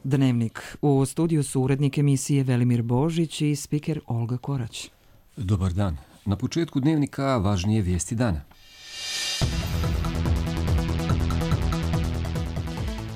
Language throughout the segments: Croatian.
Dnevnik. U studiju su urednik emisije Velimir Božić i spiker Olga Korać. Dobar dan. Na početku Dnevnika važnije vijesti dana.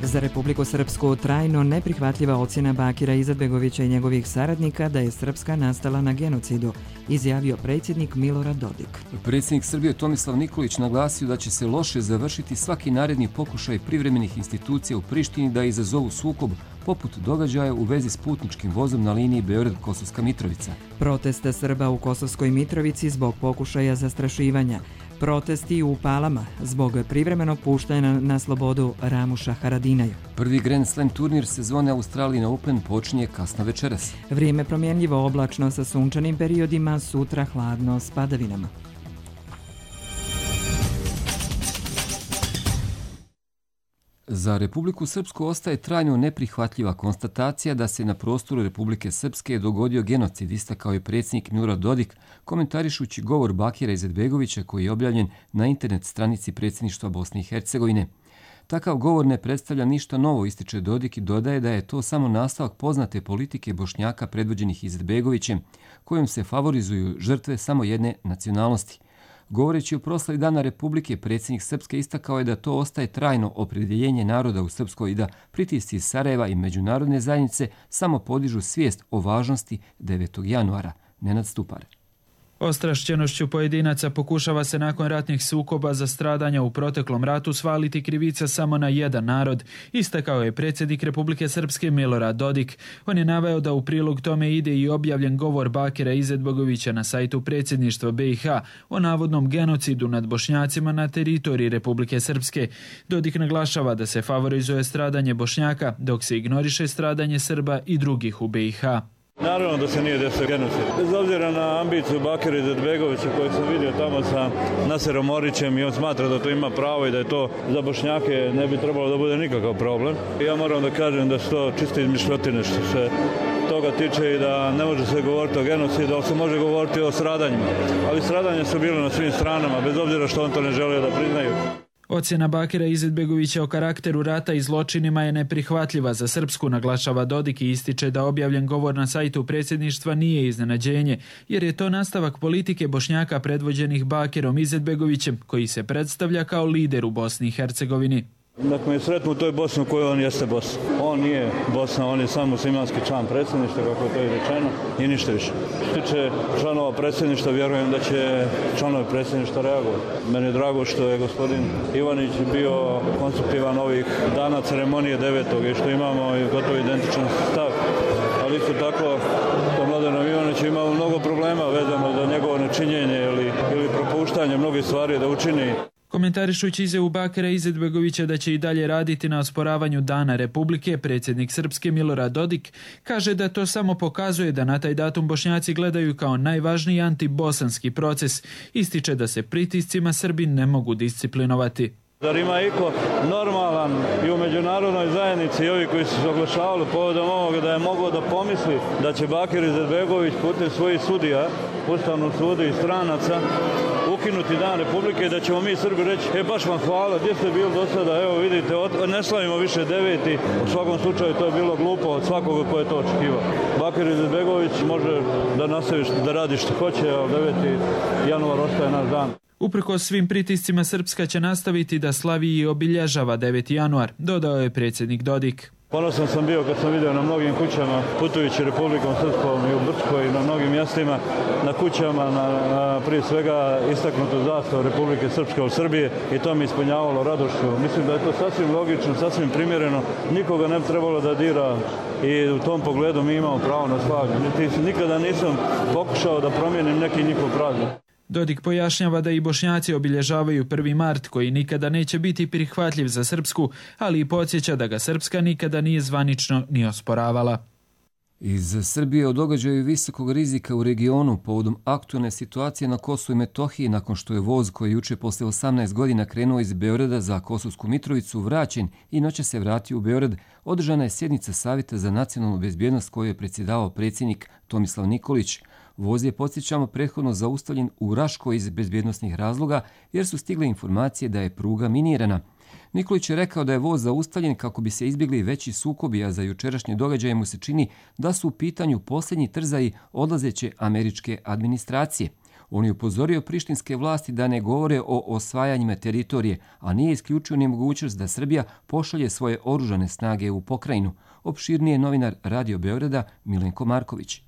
Za Republiku Srpsku trajno neprihvatljiva ocjena Bakira Izetbegovića i njegovih saradnika da je Srpska nastala na genocidu, izjavio predsjednik Milorad Dodik. Predsjednik Srbije Tomislav Nikolić naglasio da će se loše završiti svaki naredni pokušaj privremenih institucija u Prištini da izazovu sukob, poput događaja u vezi s putničkim vozom na liniji Beograd-Kosovska Mitrovica. Proteste Srba u Kosovskoj Mitrovici zbog pokušaja zastrašivanja. Protesti u Palama zbog privremenog puštanja na slobodu Ramuša Haradinaju. Prvi Grand Slam turnir sezone Australian Open počinje kasno večeras. Vrijeme promjenljivo, oblačno sa sunčanim periodima, sutra hladno s padavinama. Za Republiku Srpsku ostaje trajno neprihvatljiva konstatacija da se na prostoru Republike Srpske dogodio genocid, istakao je predsjednik Milorad Dodik, komentarišući govor Bakira Izetbegovića koji je objavljen na internet stranici predsjedništva Bosne i Hercegovine. Takav govor ne predstavlja ništa novo, ističe Dodik i dodaje da je to samo nastavak poznate politike Bošnjaka predvođenih Izetbegovićem, kojom se favorizuju žrtve samo jedne nacionalnosti. Govoreći o proslavi Dana Republike, predsjednik Srpske istakao je da to ostaje trajno opredjeljenje naroda u Srpskoj i da pritisci iz Sarajeva i međunarodne zajednice samo podižu svijest o važnosti 9. januara. Nenad Stupar. Ostrašćenošću pojedinaca pokušava se nakon ratnih sukoba za stradanja u proteklom ratu svaliti krivica samo na jedan narod, istakao je predsjednik Republike Srpske Milorad Dodik. On je naveo da u prilog tome ide i objavljen govor Bakira Izetbegovića na sajtu predsjedništva BiH o navodnom genocidu nad Bošnjacima na teritoriji Republike Srpske. Dodik naglašava da se favorizuje stradanje Bošnjaka, dok se ignoriše stradanje Srba i drugih u BiH. Naravno da se nije desio genocid. Bez obzira na ambiciju Bakira Izetbegovića kojeg sam vidio tamo sa Naserom Orićem i on smatra da to ima pravo i da je to za Bošnjake ne bi trebalo da bude nikakav problem. Ja moram da kažem da su to čiste izmišljotine što se toga tiče i da ne može se govoriti o genocidu, ali se može govoriti o stradanjima. Ali stradanja su bile na svim stranama, bez obzira što on to ne želio da priznaju. Ocjena Bakira Izetbegovića o karakteru rata i zločinima je neprihvatljiva za Srpsku, naglašava Dodik i ističe da objavljen govor na sajtu predsjedništva nije iznenađenje, jer je to nastavak politike Bošnjaka predvođenih Bakirom Izetbegovićem, koji se predstavlja kao lider u Bosni i Hercegovini. Nek me sretnu u toj Bosni u kojoj on jeste Bosna. On nije Bosna, on je samo muslimanski član predsjedništva, kako je to i rečeno, i ništa više. Što tiče članova predsjedništva, vjerujem da će članovi predsjedništva reagovati. Meni je drago što je gospodin Ivanić bio konstruktivan ovih dana ceremonije 9. i što imamo gotovo identičan stav. Ali isto tako, to Mladenom Ivaniću imamo mnogo problema vezano za njegovo nečinjenje ili propuštanje mnogih stvari da učini. Komentarišući izjavu Bakira Izetbegovića da će i dalje raditi na osporavanju Dana Republike, predsjednik Srpske Milorad Dodik kaže da to samo pokazuje da na taj datum Bošnjaci gledaju kao najvažniji antibosanski proces. Ističe da se pritiscima Srbi ne mogu disciplinovati. Zar ima iko normalan i u međunarodnoj zajednici i ovi koji su se oglašavali povodom ovoga da je moglo da pomisli da će Bakir Izetbegović putem svojih sudija, Ustavnog suda i stranaca ukinuti Dan Republike i da ćemo mi Srbi reći baš vam hvala, gdje ste bili do sada, evo vidite, ne slavimo više 9. U svakom slučaju to je bilo glupo od svakoga ko je to očekivao. Bakir Izetbegović može da nastavi da radi što hoće, a 9. januar ostaje naš dan. Uprkos svim pritiscima Srpska će nastaviti da slavi i obilježava 9. januar, dodao je predsjednik Dodik. Ponosan sam bio kad sam vidio na mnogim kućama, putujući Republikom Srpskom i u Brčkoj i na mnogim mjestima, na kućama, na prije svega istaknutu zastavu Republike Srpske u Srbije i to mi ispunjavalo radošću. Mislim da je to sasvim logično, sasvim primjereno, nikoga ne bi trebalo da dira i u tom pogledu mi imamo pravo na slavlje. Nikada nisam pokušao da promijenim neki njihov praznik. Dodik pojašnjava da i Bošnjaci obilježavaju 1. mart koji nikada neće biti prihvatljiv za Srpsku, ali i podsjeća da ga Srpska nikada nije zvanično ni osporavala. Iz Srbije o događaju visokog rizika u regionu povodom aktualne situacije na Kosovu i Metohiji nakon što je voz koji juče posle 18 godina krenuo iz Beograda za Kosovsku Mitrovicu vraćen i noće se vratio u Beograd, održana je sjednica Savjeta za nacionalnu bezbjednost koju je predsjedavao predsjednik Tomislav Nikolić. Voz je, podsjećamo, prethodno zaustavljen u Raškoj iz bezbjednosnih razloga jer su stigle informacije da je pruga minirana. Nikolić je rekao da je voz zaustavljen kako bi se izbjegli veći sukobi, a za jučerašnje događaje mu se čini da su u pitanju posljednji trzaji odlazeće američke administracije. On je upozorio prištinske vlasti da ne govore o osvajanjima teritorije, a nije isključio ni mogućnost da Srbija pošalje svoje oružane snage u pokrajinu. Opširnije novinar Radio Beograda Milenko Marković.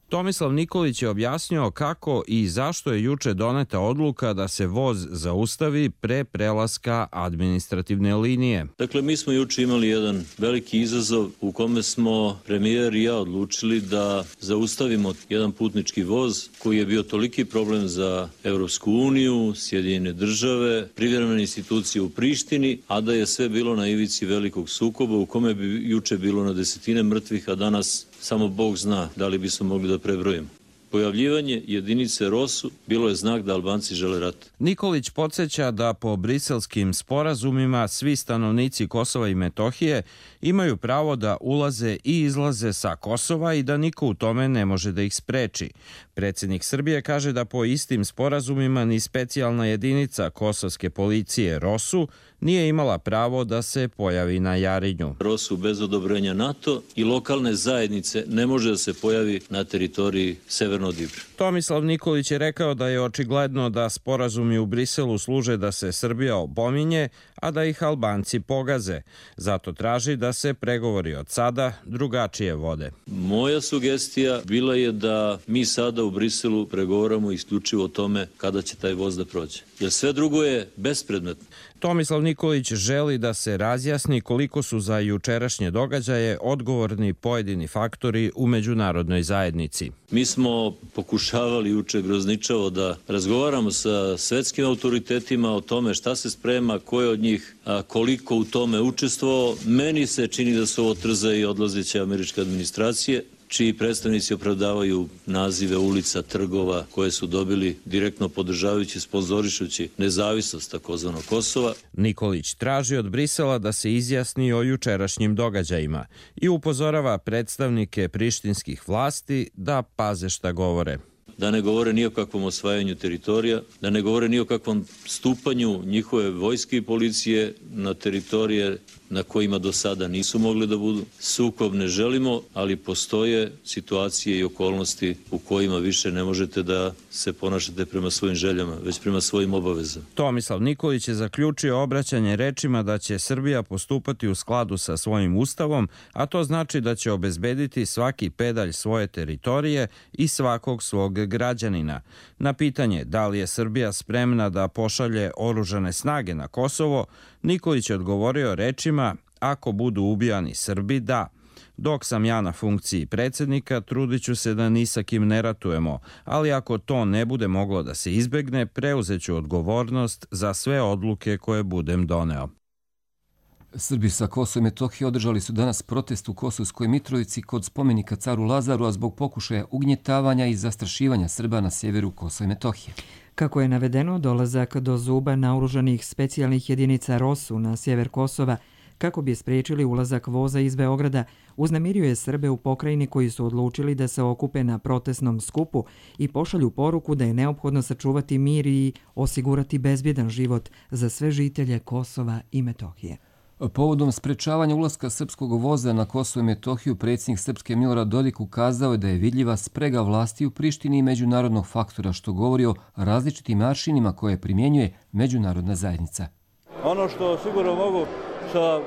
Tomislav Nikolić je objasnio kako i zašto je juče doneta odluka da se voz zaustavi pre prelaska administrativne linije. Dakle, mi smo juče imali jedan veliki izazov u kome smo premijer i ja odlučili da zaustavimo jedan putnički voz koji je bio toliki problem za Evropsku uniju, Sjedinjene države, privremene institucije u Prištini, a da je sve bilo na ivici velikog sukoba u kome bi juče bilo na desetine mrtvih, a danas samo Bog zna da li bismo mogli da prebrojimo. Pojavljivanje jedinice ROSU bilo je znak da Albanci žele rat. Nikolić podsjeća da po briselskim sporazumima svi stanovnici Kosova i Metohije imaju pravo da ulaze i izlaze sa Kosova i da niko u tome ne može da ih spreči. Predsjednik Srbije kaže da po istim sporazumima ni specijalna jedinica kosovske policije ROSU nije imala pravo da se pojavi na Jarinju. ROSU bez odobrenja NATO i lokalne zajednice ne može da se pojavi na teritoriji Severnog Ibra. Tomislav Nikolić je rekao da je očigledno da sporazumi u Briselu služe da se Srbija opominje, a da ih Albanci pogaze. Zato traži da se pregovori od sada drugačije vode. Moja sugestija bila je da mi sada u Briselu pregovaramo isključivo o tome kada će taj voz da prođe. Jer sve drugo je bespredmetno. Tomislav Nikolić želi da se razjasni koliko su za jučerašnje događaje odgovorni pojedini faktori u međunarodnoj zajednici. Mi smo pokušavali juče grozničavo da razgovaramo sa svetskim autoritetima o tome šta se sprema, ko je od njih koliko u tome učestvovao. Meni se čini da su ovo trzaji odlazeće američke administracije, čiji predstavnici opravdavaju nazive ulica, trgova koje su dobili direktno podržavajući, sponzorišući nezavisnost takozvanog Kosova. Nikolić traži od Brisela da se izjasni o jučerašnjim događajima i upozorava predstavnike prištinskih vlasti da paze šta govore. Da ne govore ni o kakvom osvajanju teritorija, da ne govore ni o kakvom stupanju njihove vojske i policije na teritorije na kojima do sada nisu mogli da budu. Sukob ne želimo, ali postoje situacije i okolnosti u kojima više ne možete da se ponašate prema svojim željama, već prema svojim obavezama. Tomislav Nikolić je zaključio obraćanje rečima da će Srbija postupati u skladu sa svojim ustavom, a to znači da će obezbediti svaki pedalj svoje teritorije i svakog svog građanina. Na pitanje da li je Srbija spremna da pošalje oružane snage na Kosovo, Nikolić je odgovorio rečima: ako budu ubijani Srbi, da. Dok sam ja na funkciji predsjednika, trudit ću se da ni sa kim ne ratujemo, ali ako to ne bude moglo da se izbegne, preuzet ću odgovornost za sve odluke koje budem doneo. Srbi sa Kosova i Metohije održali su danas protest u Kosovskoj Mitrovici kod spomenika caru Lazaru, a zbog pokušaja ugnjetavanja i zastrašivanja Srba na sjeveru Kosova i Metohije. Kako je navedeno, dolazak do zuba naoružanih specijalnih jedinica ROSU na sjever Kosova kako bi spriječili ulazak voza iz Beograda, uznemirio je Srbe u pokrajini koji su odlučili da se okupe na protestnom skupu i pošalju poruku da je neophodno sačuvati mir i osigurati bezbjedan život za sve žitelje Kosova i Metohije. Povodom sprečavanja ulaska srpskog voza na Kosovo i Metohiju, predsjednik Srpske Milorad Dodik ukazao je da je vidljiva sprega vlasti u Prištini i međunarodnog faktora, što govori o različitim aršinima koje primjenjuje međunarodna zajednica. Ono što sigurno mogu sa,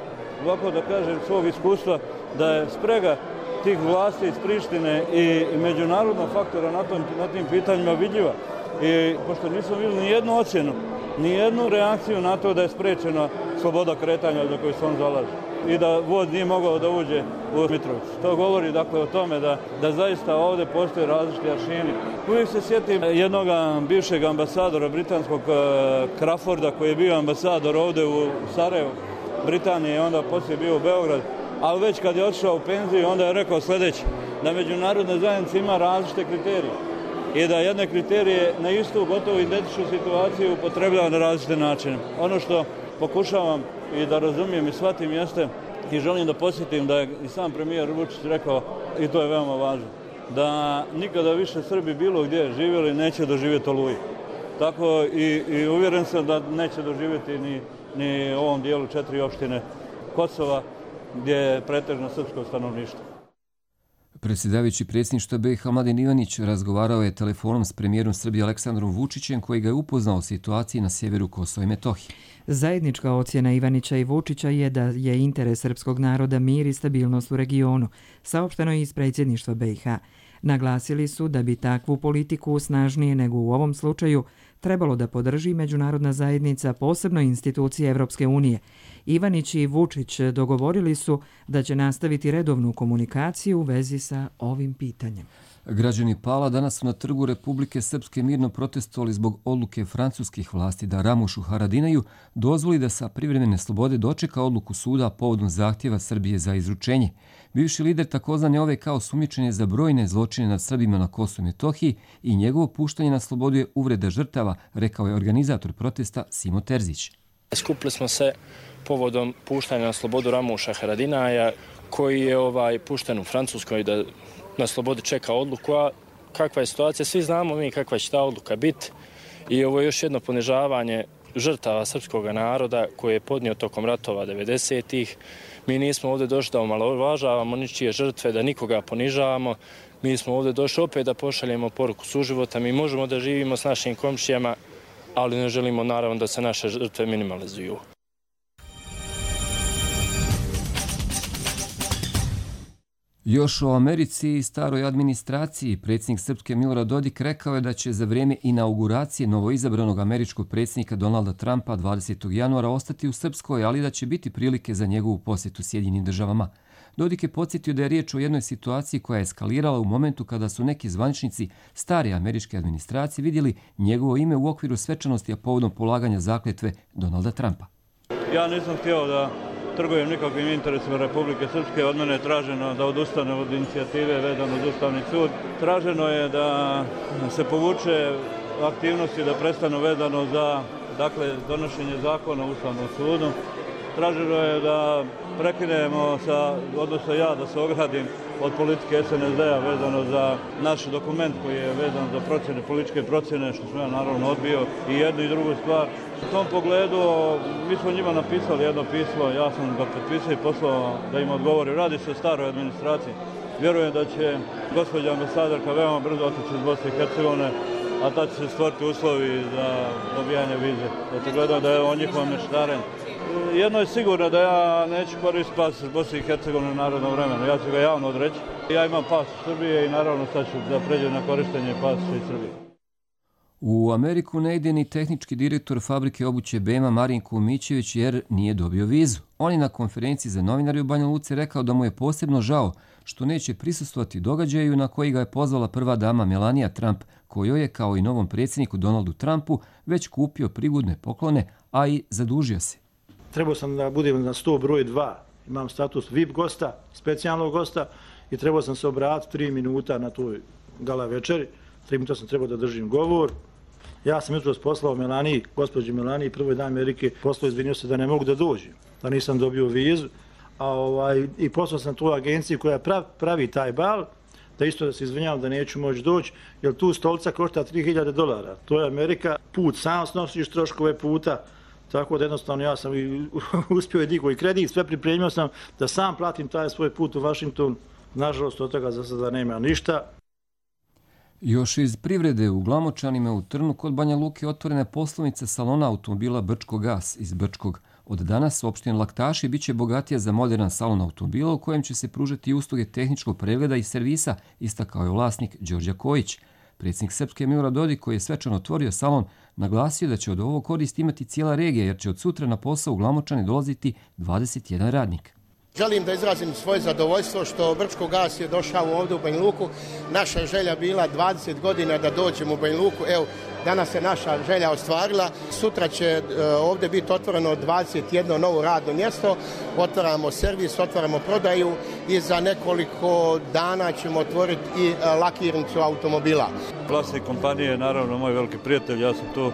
ovako da kažem, svog iskustva, da je sprega tih vlasti iz Prištine i međunarodnog faktora na tim pitanjima vidljiva. I pošto nismo vidjeli ni jednu ocjenu, ni jednu reakciju na to da je sprečena sloboda kretanja za koju se on zalaže i da voz nije mogao da uđe u Mitrovicu. To govori dakle o tome da zaista ovdje postoje različiti aršini. Uvijek se sjetim jednog bivšeg ambasadora britanskog Crawforda koji je bio ambasador ovdje u Sarajevu, Britanije, i onda poslije bio u Beograd, ali već kad je otišao u penziju onda je rekao sljedeće, da međunarodna zajednica ima različite kriterije i da jedne kriterije na istu gotovo identičnu situaciju upotrebljava na različite načine. Ono što pokušavam i da razumijem i shvatim jeste i želim da posjetim da je i sam premijer Vučić rekao, i to je veoma važno, da nikada više Srbi bilo gdje živjeli neće doživjeti Oluju. Tako i uvjeren sam da neće doživjeti ni u ovom dijelu 4 opštine Kosova gdje je pretežno srpsko stanovništvo. Predsjedavajući predsjedništva BiH Mladen Ivanić razgovarao je telefonom s premijerom Srbije Aleksandrom Vučićem koji ga je upoznao o situaciji na sjeveru Kosova i Metohije. Zajednička ocjena Ivanića i Vučića je da je interes srpskog naroda mir i stabilnost u regionu, saopšteno je iz predsjedništva BiH. Naglasili su da bi takvu politiku snažnije nego u ovom slučaju trebalo da podrži međunarodna zajednica, posebno institucije Evropske unije. Ivanić i Vučić dogovorili su da će nastaviti redovnu komunikaciju u vezi sa ovim pitanjem. Građani Pala danas su na trgu Republike Srpske mirno protestovali zbog odluke francuskih vlasti da Ramušu Haradinaju dozvoli da sa privremene slobode dočeka odluku suda povodom zahtjeva Srbije za izručenje. Bivši lider takozvane OVK osumnjičen je za brojne zločine nad Srbima na Kosovu i Metohiji i njegovo puštanje na slobodu je uvreda žrtava, rekao je organizator protesta Simo Terzić. Skupili smo se povodom puštanja na slobodu Ramuša Haradinaja, koji je pušten u Francuskoj da na slobodi čeka odluku, a kakva je situacija, svi znamo mi kakva će ta odluka biti i ovo je još jedno ponižavanje žrtava srpskog naroda koje je podnio tokom ratova 90-ih. Mi nismo ovdje došli da omalovažavamo ničije žrtve, da nikoga ponižavamo. Mi smo ovdje došli opet da pošaljemo poruku suživota. Mi možemo da živimo s našim komšijama, ali ne želimo naravno da se naše žrtve minimalizuju. Još o Americi i staroj administraciji predsjednik Srpske Milorad Dodik rekao je da će za vrijeme inauguracije novoizabranog američkog predsjednika Donalda Trumpa 20. januara ostati u Srpskoj, ali da će biti prilike za njegovu posjetu Sjedinjenim državama. Dodik je podsjetio da je riječ o jednoj situaciji koja je eskalirala u momentu kada su neki zvaničnici stare američke administracije vidjeli njegovo ime u okviru svečanosti a povodom polaganja zakletve Donalda Trumpa. Ja nisam htio da trgujem nikakvim interesima Republike Srpske. Od mene je traženo da odustane od inicijative vezano uz Ustavni sud. Traženo je da se povuče aktivnosti da prestanu vezano za donošenje zakona u Ustavnom sudu. Traženo je da prekinemo odnosno ja da se ogradim od politike SNSD-a vezano za naš dokument koji je vezan za procjene, političke procjene, što sam ja naravno odbio i jednu i drugu stvar. U tom pogledu mi smo njima napisali jedno pismo, ja sam ga potpisao i poslao da im odgovori. Radi se o staroj administraciji. Vjerujem da će gospođa ambasadorka veoma brzo otići iz Bosne i Hercegovine, a tad će se stvoriti uslovi za dobijanje vize. Očigledno da je o njihovom mešetarenju. Jedno je sigurno da ja neću koristiti pas iz Bosne i Hercegovine u narodnom vremenu. Ja ću ga javno odreći. Ja imam pas iz Srbije i naravno sad ću da pređem na korištenje pasa iz Srbije. U Ameriku ne ide ni tehnički direktor fabrike obuće BM Marinko Mićević jer nije dobio vizu. On je na konferenciji za novinare u Banja Luci rekao da mu je posebno žao što neće prisustvovati događaju na koji ga je pozvala prva dama Melania Trump, kojoj je kao i novom predsjedniku Donaldu Trumpu već kupio prigodne poklone, a i zadužio se. Trebao sam da budem na 100 broj 2. Imam status VIP gosta, specijalnog gosta i trebao sam se obratiti 3 minuta na toj gala večeri. 3 minuta sam trebao da držim govor. Ja sam jutros poslao gospođi Melaniji, prvoj dami Amerike, poslao izvinio se da ne mogu da dođem, da nisam dobio vizu. I poslao sam tu agenciju koja pravi taj bal, da isto da se izvinjavam da neću moći doći, jer tu stolica košta $3.000. To je Amerika, put sam snosiš troškove puta, tako da jednostavno ja sam uspio i digao i kredit, sve pripremio sam da sam platim taj svoj put u Washington. Nažalost, od toga za sada nema ništa. Još iz privrede u Glamočanima u Trnu kod Banja Luke otvorena je poslovnica salona automobila Brčko Gas iz Brčkog. Od danas opština Laktaši biće bogatija za moderan salon automobila u kojem će se pružati usluge tehničkog pregleda i servisa, istakao je vlasnik Đorđe Kojić. Predsjednik Srpske Milorad Dodik, koji je svečano otvorio salon, naglasio da će od ovog korist imati cijela regija jer će od sutra na posao u Glamočane dolaziti 21 radnik. Želim da izrazim svoje zadovoljstvo što Brčko Gas je došao ovdje u Banja Luku. Naša je želja bila 20 godina da dođemo u Banja Luku. Evo, danas se naša želja ostvarila. Sutra će ovdje biti otvoreno 21 novo radno mjesto. Otvaramo servis, otvaramo prodaju i za nekoliko dana ćemo otvoriti i lakirnicu automobila. Vlasnik kompanije je naravno moj veliki prijatelj. Ja sam tu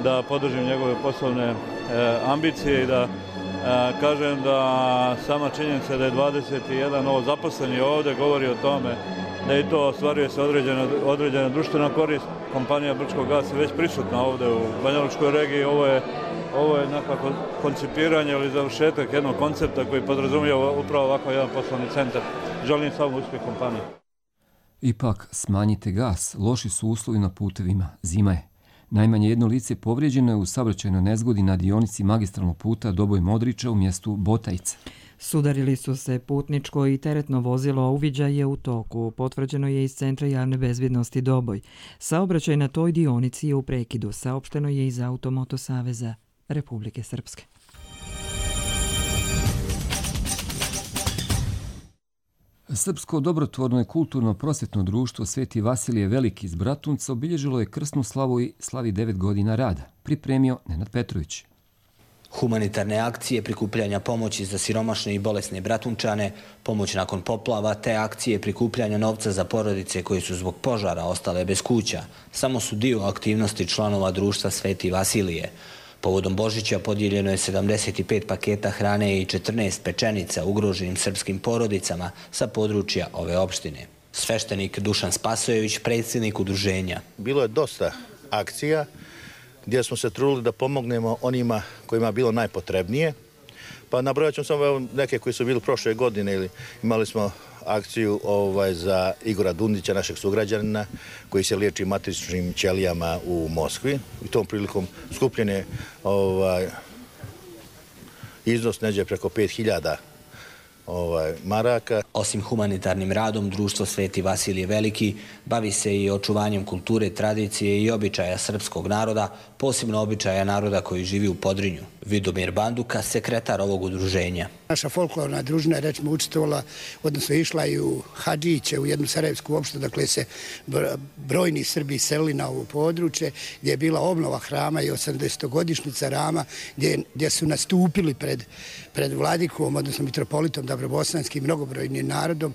da podržim njegove poslovne ambicije i da kažem da sama činjenica da je 21 novo zaposleni ovdje govori o tome da i to ostvaruje se određena društvena korist. Kompanija Brčko Gas je već prisutna ovdje u Banja Lučkoj regiji. Ovo je Ovo je nekako koncipiranje ili završetak jednog koncepta koji podrazumijeva upravo ovako jedan poslovni centar. Želim samo uspjeh kompanije. Ipak, smanjite gas, loši su uslovi na putevima, zima je. Najmanje jedno lice povrijeđeno je u saobraćajnoj nezgodi na dionici magistralnog puta Doboj-Modriča u mjestu Botajice. Sudarili su se putničko i teretno vozilo, a uviđaj je u toku. Potvrđeno je iz Centra javne bezbjednosti Doboj. Saobraćaj na toj dionici je u prekidu, saopšteno je iz Automoto saveza Republike Srpske. Srpsko dobrotvorno i kulturno prosvjetno društvo Sveti Vasilije Veliki iz Bratunca obilježilo je krsnu slavu i slavi 9 godina rada. Pripremio Nenad Petrović. Humanitarne akcije prikupljanja pomoći za siromašne i bolesne Bratunčane, pomoć nakon poplava, te akcije prikupljanja novca za porodice koje su zbog požara ostale bez kuća, samo su dio aktivnosti članova društva Sveti Vasilije. Povodom Božića podijeljeno je 75 paketa hrane i 14 pečenica ugroženim srpskim porodicama sa područja ove opštine. Sveštenik Dušan Spasojević, predsjednik udruženja. Bilo je dosta akcija gdje smo se trudili da pomognemo onima kojima je bilo najpotrebnije. Pa nabrojat ćemo samo neke koji su bili prošle godine. Ili imali smo akciju za Igora Dundića, našeg sugrađanina, koji se liječi matričnim ćelijama u Moskvi. I tom prilikom skupljen je iznos neđe preko 5000 maraka. Osim humanitarnim radom, društvo Sveti Vasilije Veliki bavi se i očuvanjem kulture, tradicije i običaja srpskog naroda, posebno običaja naroda koji živi u Podrinju. Vidomir Banduka, sekretar ovog udruženja. Naša folklorna družina je recimo učestvovala, odnosno išla i u Hadžiće, u jednu sarajevsku opštinu, dakle se brojni Srbi selili na ovo područje, gdje je bila obnova hrama i 80-godišnjica Rama, gdje su nastupili pred vladikom, odnosno mitropolitom Dabrobosanskim, mnogobrojnim narodom.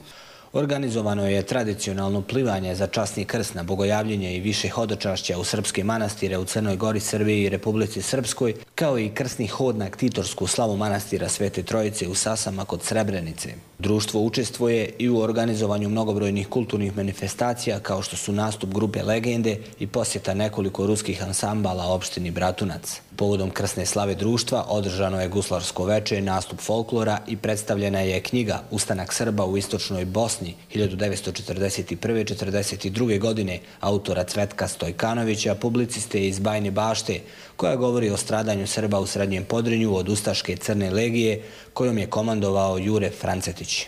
Organizovano je tradicionalno plivanje za časni krst na bogojavljenje i više hodočašća u srpske manastire u Crnoj Gori, Srbiji i Republici Srpskoj, kao i krsni hod na ktitorsku slavu manastira Svete Trojice u Sasama kod Srebrenice. Društvo učestvuje i u organizovanju mnogobrojnih kulturnih manifestacija kao što su nastup grupe Legende i posjeta nekoliko ruskih ansambala opštini Bratunac. Povodom krsne slave društva održano je guslarsko veče, nastup folklora i predstavljena je knjiga Ustanak Srba u istočnoj Bosni 1941-42. godine autora Cvetka Stojkanovića, publiciste iz Bajne Bašte, koja govori o stradanju Srba u Srednjem Podrinju od ustaške Crne legije kojom je komandovao Jure Francetić.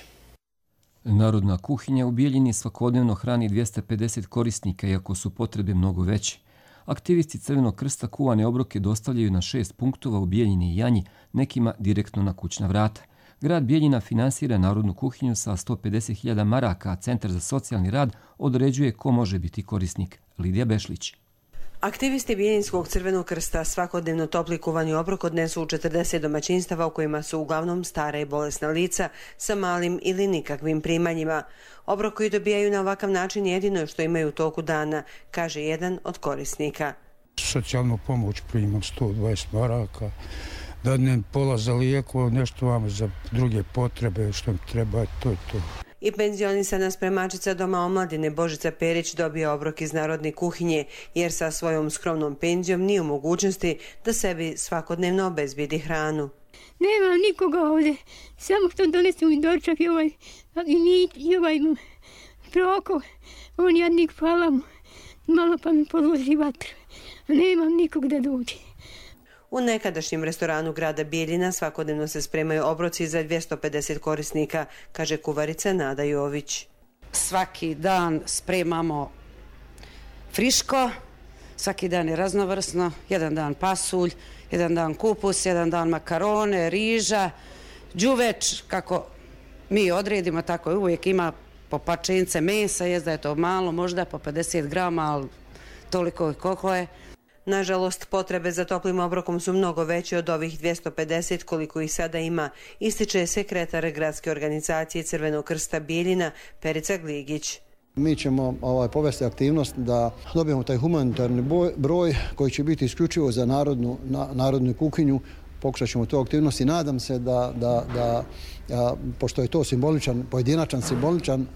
Narodna kuhinja u Bijeljini svakodnevno hrani 250 korisnika, iako su potrebe mnogo veće. Aktivisti Crvenog krsta kuvane obroke dostavljaju na 6 punktova u Bijeljini i Janji, nekima direktno na kućna vrata. Grad Bijeljina finansira narodnu kuhinju sa 150.000 maraka, a Centar za socijalni rad određuje ko može biti korisnik. Lidija Bešlić. Aktivisti Bijeljinskog Crvenog krsta svakodnevno topli kuvani obrok odnesu u 40 domaćinstava u kojima su uglavnom stara i bolesna lica sa malim ili nikakvim primanjima. Obrok koji dobijaju na ovakav način jedino je što imaju u toku dana, kaže jedan od korisnika. Socijalnu pomoć primam 120 maraka, dadnem pola za lijekova, nešto vam za druge potrebe što mi treba, to je to. I penzionisana spremačica Doma omladine Božica Perić dobija obrok iz narodne kuhinje, jer sa svojom skromnom penzijom nije u mogućnosti da sebi svakodnevno obezbijedi hranu. Nemam nikoga ovdje, samo što donesu mi dočak i ovaj Proko, on jadnik, hvala mu, malo pa mi podloži vatru, nemam nikog da dođe. U nekadašnjem restoranu grada Bijeljina svakodnevno se spremaju obroci za 250 korisnika, kaže kuvarica Nada Jović. Svaki dan spremamo friško, svaki dan je raznovrsno, jedan dan pasulj, jedan dan kupus, jedan dan makarone, riža, đuveč, kako mi odredimo, tako je uvijek ima po pačince mesa, jest da je to malo, možda po 50 grama, ali toliko i koliko je. Nažalost, potrebe za toplim obrokom su mnogo veće od ovih 250 koliko ih sada ima, ističe sekretar gradske organizacije Crvenog krsta Bijeljina Perica Gligić. Mi ćemo povesti aktivnost da dobijemo taj humanitarni broj koji će biti isključivo za narodnu kuhinju. Pokušat ćemo tu aktivnost i nadam se da pošto je to pojedinačan simboličan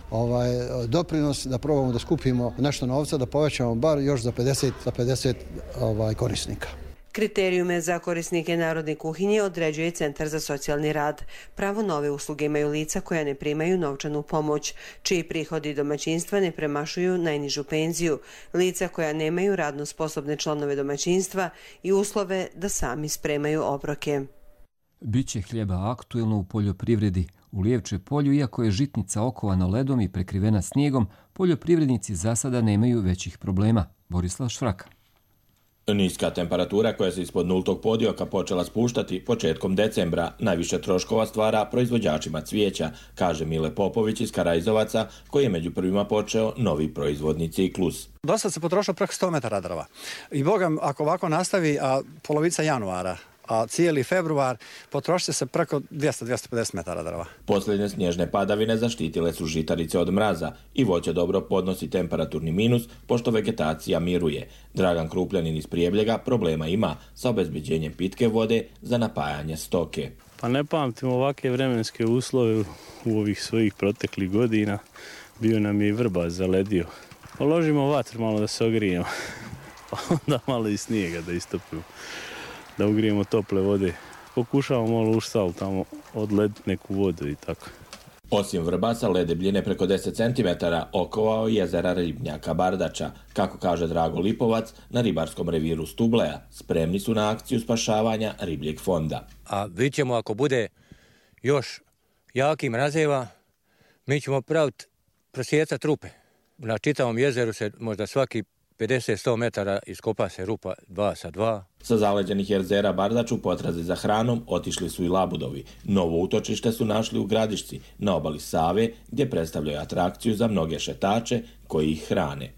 doprinos, da probamo da skupimo nešto novca, da povećamo bar još za 50 korisnika. Kriterijume za korisnike narodne kuhinje određuje Centar za socijalni rad. Pravo na ove usluge imaju lica koja ne primaju novčanu pomoć, čiji prihodi domaćinstva ne premašuju najnižu penziju, lica koja nemaju radno sposobne članove domaćinstva i uslove da sami spremaju obroke. Biće hljeba aktuelno u poljoprivredi. U Lijevče polju, iako je žitnica okovana ledom i prekrivena snijegom, poljoprivrednici za sada nemaju većih problema. Borislav Švraka. Niska temperatura koja se ispod nultog podioka počela spuštati početkom decembra najviše troškova stvara proizvođačima cvijeća, kaže Mile Popović iz Karajzovaca, koji je među prvima počeo novi proizvodni ciklus. Dosad se potrošilo preko 100 metara drva. I bogam, ako ovako nastavi, a polovica januara, a cijeli februar, potrošit se preko 200-250 metara drva. Posljednje snježne padavine zaštitile su žitarice od mraza i voće dobro podnosi temperaturni minus, pošto vegetacija miruje. Dragan Krupljanin iz Prijebljega problema ima sa obezbeđenjem pitke vode za napajanje stoke. Pa ne pamtim ovakve vremenske uslove u ovih svojih proteklih godina. Bio nam je i vrba zaledio. Položimo vatru malo da se ogrijemo, pa onda malo i snijega da istopimo, da ugrijemo tople vode. Pokušavamo malo u štal tamo odlediti neku vodu i tako. Osim vrbasa, led debljine preko 10 cm okovao jezera ribnjaka Bardača. Kako kaže Drago Lipovac, na ribarskom reviru Stubleja spremni su na akciju spašavanja ribljeg fonda. A vidjet ćemo, ako bude još jaki mrazeva, mi ćemo praviti prosjecati rupe. Na čitavom jezeru se možda svaki 50-100 metara iskopa se rupa 2 sa 2. Sa zaleđenih jezera Bardač u potrazi za hranom otišli su i labudovi. Novo utočište su našli u Gradišci, na obali Save, gdje predstavljaju atrakciju za mnoge šetače koji ih hrane.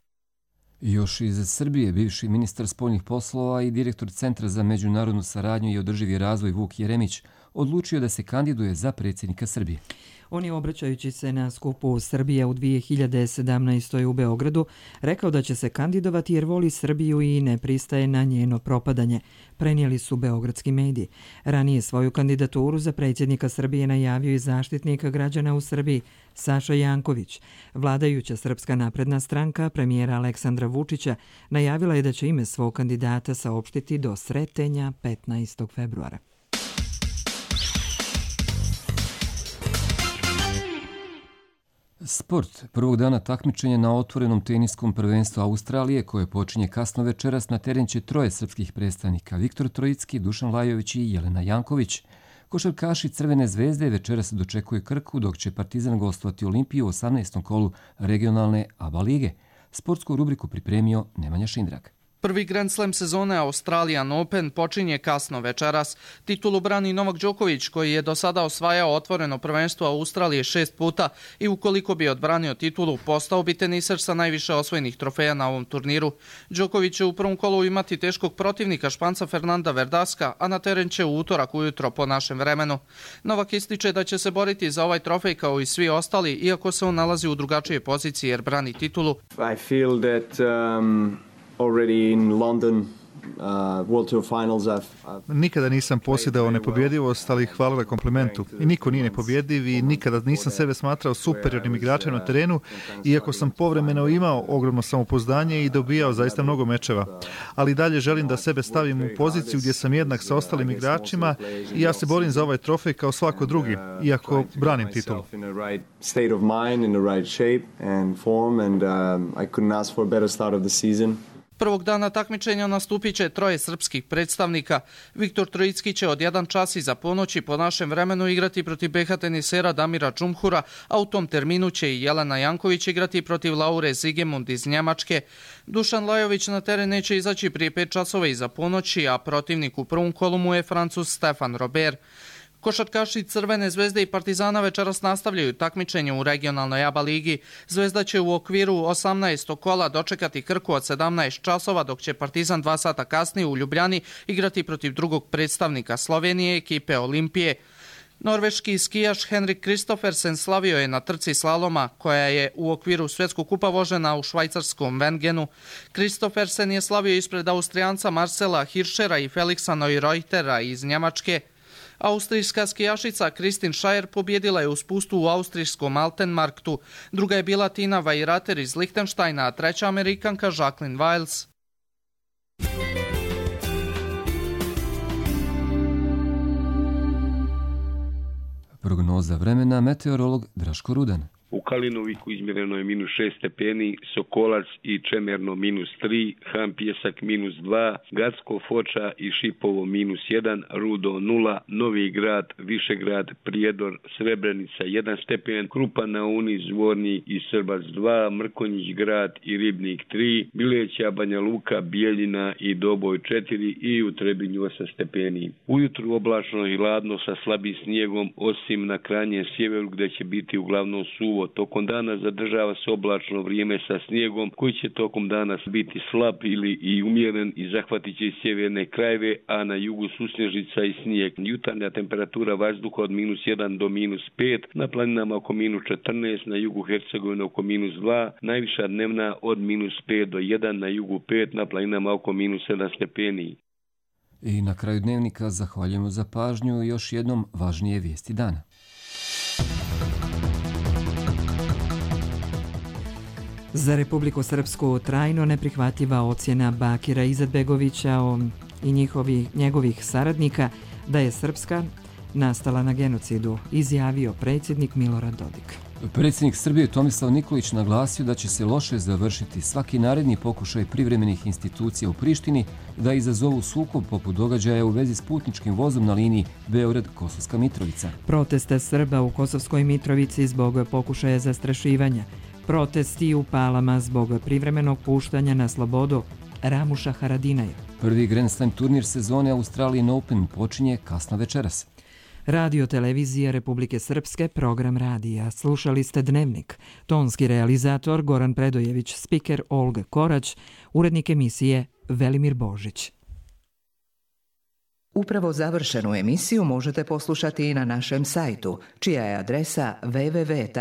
Još iz Srbije, bivši ministar spoljnih poslova i direktor Centra za međunarodnu saradnju i održivi razvoj Vuk Jeremić odlučio da se kandiduje za predsjednika Srbije. On je, obraćajući se na skupu Srbija u 2017. u Beogradu, rekao da će se kandidovati jer voli Srbiju i ne pristaje na njeno propadanje, prenijeli su beogradski mediji. Ranije svoju kandidaturu za predsjednika Srbije najavio i zaštitnik građana u Srbiji, Saša Janković. Vladajuća Srpska napredna stranka premijera Aleksandra Vučića najavila je da će ime svog kandidata saopštiti do Sretenja 15. februara. Sport. Prvog dana takmičenja na otvorenom teniskom prvenstvu Australije, koje počinje kasno večeras, na teren će troje srpskih predstavnika: Viktor Trojicki, Dušan Lajović i Jelena Janković. Košarkaši Crvene zvezde večeras dočekuje Krku, dok će Partizan gostovati Olimpiju u 18. kolu regionalne ABA lige. Sportsku rubriku pripremio Nemanja Šindrak. Prvi Grand Slam sezone Australian Open počinje kasno večeras. Titulu brani Novak Đoković, koji je do sada osvajao otvoreno prvenstvo Australije 6 puta i ukoliko bi odbranio titulu, postao bi teniser sa najviše osvojenih trofeja na ovom turniru. Đoković će u prvom kolu imati teškog protivnika Španca Fernanda Verdaska, a na teren će u utorak ujutro po našem vremenu. Novak ističe da će se boriti za ovaj trofej kao i svi ostali, iako se on nalazi u drugačijoj poziciji jer brani titulu. I feel that already in London World Tour Finals. Nikada nisam posjedao nepobjedivost, ali hvala na komplimentu. I niko nije nepobjediv i nikada nisam sebe smatrao superiornim igračem na terenu, iako sam povremeno imao ogromno samopouzdanje i dobijao zaista mnogo mečeva. Ali dalje želim da sebe stavim u poziciju gdje sam jednak sa ostalim igračima i ja se borim za ovaj trofej kao svako drugi, iako branim titulu. State of mind, in the right shape and form, and I couldn't ask for a better start of the season. Prvog dana takmičenja nastupit će troje srpskih predstavnika. Viktor Trojicki će od 1 čas iza ponoći po našem vremenu igrati protiv BH tenisera Damira Džumhura, a u tom terminu će i Jelena Janković igrati protiv Laure Zigemund iz Njemačke. Dušan Lajović na teren neće izaći prije 5 časova iza ponoći, a protivnik u prvom kolu mu je Francuz Stefan Robert. Košarkaši Crvene zvezde i Partizana večeras nastavljaju takmičenje u regionalnoj ABA ligi. Zvezda će u okviru 18. kola dočekati Krku od 17 časova, dok će Partizan 2 sata kasnije u Ljubljani igrati protiv drugog predstavnika Slovenije, ekipe Olimpije. Norveški skijaš Henrik Kristoffersen slavio je na trci slaloma, koja je u okviru svjetskog kupa vožena u švajcarskom Wengenu. Kristoffersen je slavio ispred Austrijanca Marcela Hirschera i Felixa Neureutera iz Njemačke. Austrijska skijašica Kristin Scheier pobjedila je u spustu u austrijskom Altenmarktu. Druga je bila Tina Weirater iz Lichtensteina, a treća Amerikanka Jacqueline Wiles. Prognoza vremena meteorolog Draško Rudan. U Kalinoviku izmjereno je -6 stepeni, Sokolac i Čemerno -3, Han Pjesak -2, Gacko, Foča i Šipovo -1, Rudo 0, Novi Grad, Višegrad, Prijedor, Srebrenica 1 stepen, Krupan na Uni, Zvorni i Srbac 2, Mrkonjić Grad i Ribnik 3, Bileća, Banja Luka, Bijeljina i Doboj 4 i u Trebinju 8 stepeni. Ujutru oblačno i hladno sa slabim snijegom, osim na krajnjem sjeveru gdje će biti uglavnom suvo. Tokom dana zadržava se oblačno vrijeme sa snijegom koji će tokom dana biti slab ili i umjeren i zahvatit će i sjeverne krajeve, a na jugu susnježica i snijeg. Jutarnja temperatura vazduha od -1 do -5, na planinama oko -14, na jugu Hercegovine oko -2, najviša dnevna od -5 do 1, na jugu 5, na planinama oko -7 stepeni. I na kraju dnevnika zahvaljujemo za pažnju i još jednom važnije vijesti dana. Za Republiku Srpsku trajno neprihvatljiva ocjena Bakira Izetbegovića i njegovih saradnika da je Srpska nastala na genocidu, izjavio predsjednik Milorad Dodik. Predsjednik Srbije Tomislav Nikolić naglasio da će se loše završiti svaki naredni pokušaj privremenih institucija u Prištini da izazovu sukob poput događaja u vezi s putničkim vozom na liniji Beograd-Kosovska Mitrovica. Proteste Srba u Kosovskoj Mitrovici zbog pokušaja zastrašivanja. Protesti u Palama zbog privremenog puštanja na slobodu Ramuša Haradinaja. Prvi Grand Slam turnir sezone Australian Open počinje kasno večeras. Radio televizija Republike Srpske, program radija. Slušali ste Dnevnik. Tonski realizator Goran Predojević, spiker Olga Korać, urednik emisije Velimir Božić. Upravo završenu emisiju možete poslušati i na našem sajtu, čija je adresa www.rtrs.tv.